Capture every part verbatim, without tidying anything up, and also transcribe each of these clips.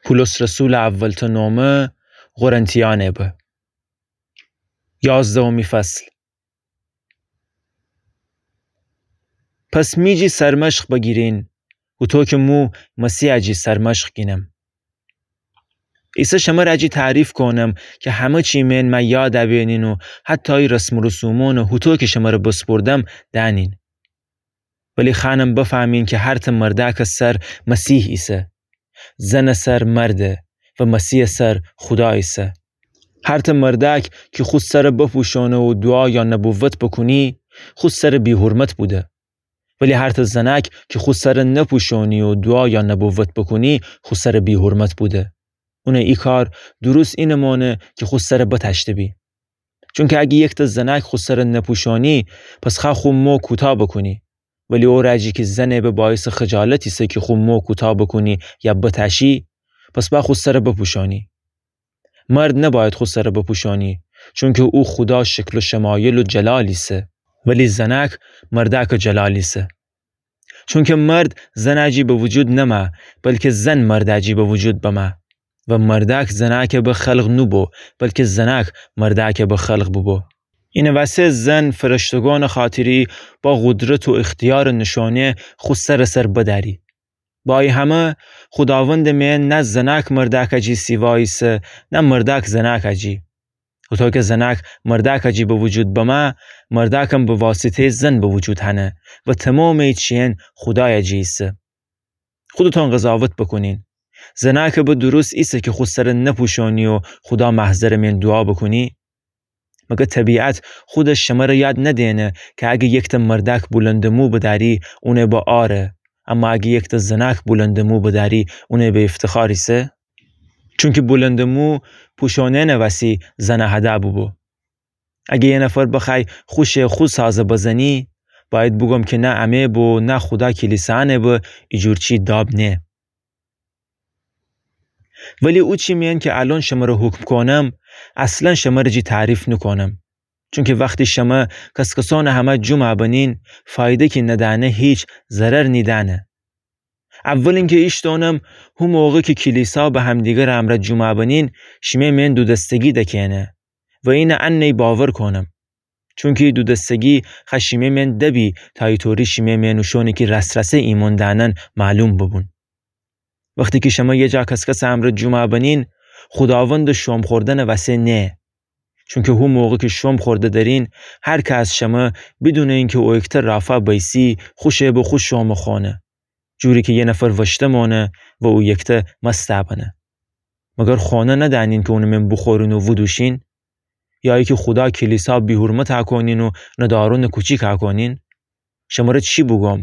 پولس رسولٚ اولتأ نومه قرنتیأنه به. یازدهمی فصل. پس می جی سرمشق بگیرین، هوطو کی مو مسیحٚ جی سرمشق گینم. ایسه شمر جی تعریف کونم کی همه چی مئن مه یاد بینین و حتی ای رسم و رسومأنَ هوطو کی شمر بسپردم دأنین. ولی خوأنم بفهمین کی هرتأ مردأکٚ سر مسیح ایسه، زنٚ سر مرده و مسیحٚ سر خودا ایسه. هرتأ مردأک کی خو سر بپوشونه و دوعا یا نبوت بکونی، خو سر بی‌حرمت بوده. ولی هرتأ زنأک کی خو سر نپوشونی و دوعا یا نبوت بکونی، خو سر بی‌حرمت بوده. اونٚ ای کار درست اینه مانه کی خو سر بتأشته بی. چونکی اگه یکتأ زنأک خو سر نپوشونی، پس خوأ خو مو کوتأ بکونی. ولی او رأ جی کی زنه به باعثٚ خجالت ایسه کی خو مو کوتأ بکونی یا بتأشی، پس با خو سر بپوشونی. مرد نباید خو سر بپوشونی، چونکی او خودا شکل و شمایل و جلال ایسه، ولی زنأک مردأکٚ جلال ایسه. چونکی مرد زن جی به وجود نمه، بلکی زن مرد جی به وجود بمه. و مردأک زنأک به خلق نوبو، بلکی زنأک مردأک به خلق بوبو. اینٚ وسه زن فرشتگانٚ خاطری با قدرت و اختیارٚ نوشونه خو سرٚ سر بدأری. با ای همه خوداوندٚ مئن نه زنأک مردأک جی سیوا ایسه، نه مردأک زنأک جی. هوطو کی زنأک مردأک جی به وجود بمه، مردأکم به واسطه‌یٚ زن به وجود هنه و تومامٚ ای چیئن خودای جی ایسه. خودتون قضاوت بکونین. زنأک به درست ایسه کی خو سر نپوشونی و خودا محضرٚ مئن دوعا بکونی؟ مگر طبیعت خودش شمر یاد ندینه کی اگه یکتأ مردأک بلندٚ مو بدأری، اون به عاره، اما اگه یکتأ زنأک بلندٚ مو بدأری، اون به افتخار ایسه؟ چونکی بلندٚ مو پوشونئنٚ وسی زنه هده بوبو. اگه یه نفر بخوأی خوشٚ خو سازه بزنی، باید بوگم کی نه امه به نه خودا کلیسانه به ایجور چی داب نه. ولی او چی مئن کی الأن شمر حکم کونم، اصلا شمر جی تعریف نوکونم. چونکی وختی شمه کس‌کسانٚ همه جمع بنین، فایده کی ندأنه هیچ، ضرر نیدأنه. اول اینکی ایشتونم، هو موقع کی کلیسا به همدیگر امرأ جمع بنین، شیمه مئن دودستگی دکینه و اینه انه باور کونم. چونکی دودستگی خوأ شیمه مئن دبی تا ایطوری شیمه مئن اوشونی کی راس‌راسه ایمأن دأنن معلوم ببون. وختی کی شمه یه جا کس‌کسٚ امرأ جمع بنین، خوداوندٚ شوم خوردنٚ وسه نه. چونکی هو موقع کی شوم خورده درین، هر که از شمه بدونٚ اینکی او ایکته رافا بیسی، خوشٚ به خو شوم خونه. جوری کی یه نفر وشته مانه و او یکته مست بنه. مگر خانه ندأنین کی اونٚ مئن بوخورین و ودوشین؟ یا ایکی خودا کلیسا بی‌حرمت کونین و ندارونٚ کوچیک کونین؟ شمره چی بوگم؟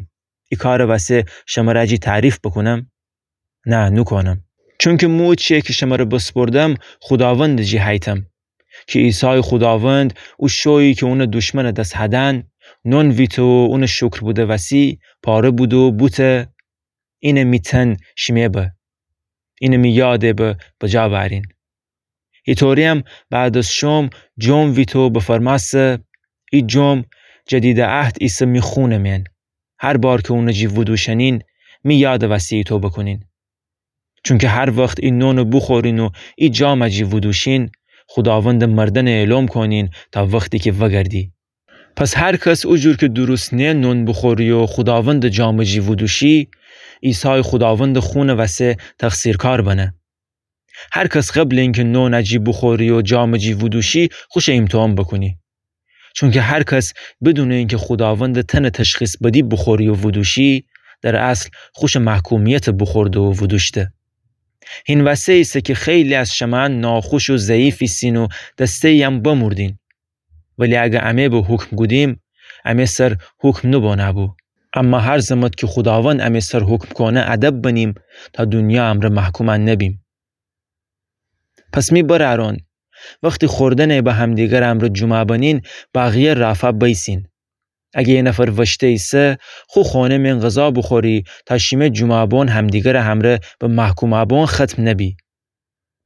ای کارٚ وسه شمره جی تعریف بکونم؟ نه، نوکونم. چونکی مو چیی کی شمره بسپردم، خوداوندٚ جی هیتم. کی عیسای خوداوند، او شویی کی اونٚ دشمنٚ دس هدن، نون ویته و اونٚ شکر بوده وسی، پاره بوده و بوته، اینه می تن، شیمه به. اینه می یاده به، بجا بأرین. ایطوریم بعد از شوم، جوم ویته و بفرمأسته، ای جوم جدیدٚ عهد ایسه می خونٚ مئن. هر بار کی اونٚ جی ودوشنین، می یادٚ وسی ایتو بکونین. چونکی هر وخت ای نونٚ بوخورین و ای جامٚ جی ودوشین، خوداوندٚ مردنٚ اعلام کونین تا وختی کی وگردی. پس هر کس او جور کی درست نیه نون بوخوری و خوداوندٚ جامٚ جی ودوشی، عیسای خوداوندٚ خونٚ وسه تقصیرکار بنه. هر کس قبلٚ اینکی نونٚ جی بوخوری و جامٚ جی ودوشی، خوشه ایمتحان بکونی. چونکی هر کس بدونٚ اینکی خوداوندٚ تنٚ تشخیص بدی بوخوری و ودوشی، در اصل خوشٚ محکومیتٚ بوخورده و ودوشته. هین وسه ایسه کی خیلی از شمه ناخوش و ضعیف ایسین و دسته‌یم بمردین. ولی اگر امه به حکم گودیم، امه سر حکم نوبانه بو. اما هر زمت کی خوداوند امه سر حکم کونه ادب بنیم تا دونیا امرأ محکوم نبیم. پس می برأرأن، وختی خوردنٚ به همدیگر امرأ جمعه بنین، بقیه رافا بیسین. اگه یه نفر وشته ایسه، خو خانه مئن غذا بوخوری تا شیمه جمعه بون همدیگرٚ همرأ به محکومه بون ختم نبی.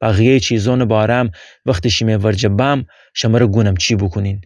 بقیه‌یٚ چیزونٚ باره‌م وختی شیمه ورجه بم، شمره گونم چی بوکونین.